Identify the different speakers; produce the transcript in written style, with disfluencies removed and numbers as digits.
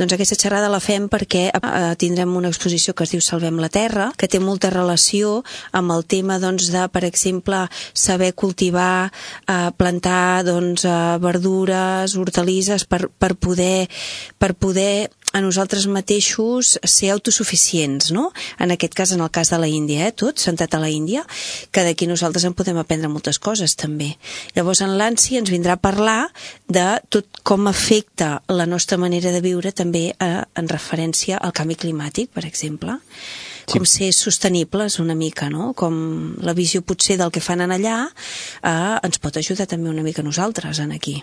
Speaker 1: Doncs aquesta xerrada la fem perquè tindrem una exposició que es diu Salvem la Terra, que té molta relació amb el tema de, per exemple, saber cultivar, plantar verdures, hortalisses per poder a nosaltres mateixos ser autosuficients, no? En aquest cas, en el cas de la Índia, tot centrat a la Índia, que d'aquí nosaltres en podem aprendre moltes coses també. Llavors en l'ANSI ens vindrà a parlar de tot com afecta la nostra manera de viure també en referència al canvi climàtic, per exemple. Sí. Com ser sostenibles una mica, no? Com la visió potser del que fan en allà ens pot ajudar també una mica a nosaltres en aquí.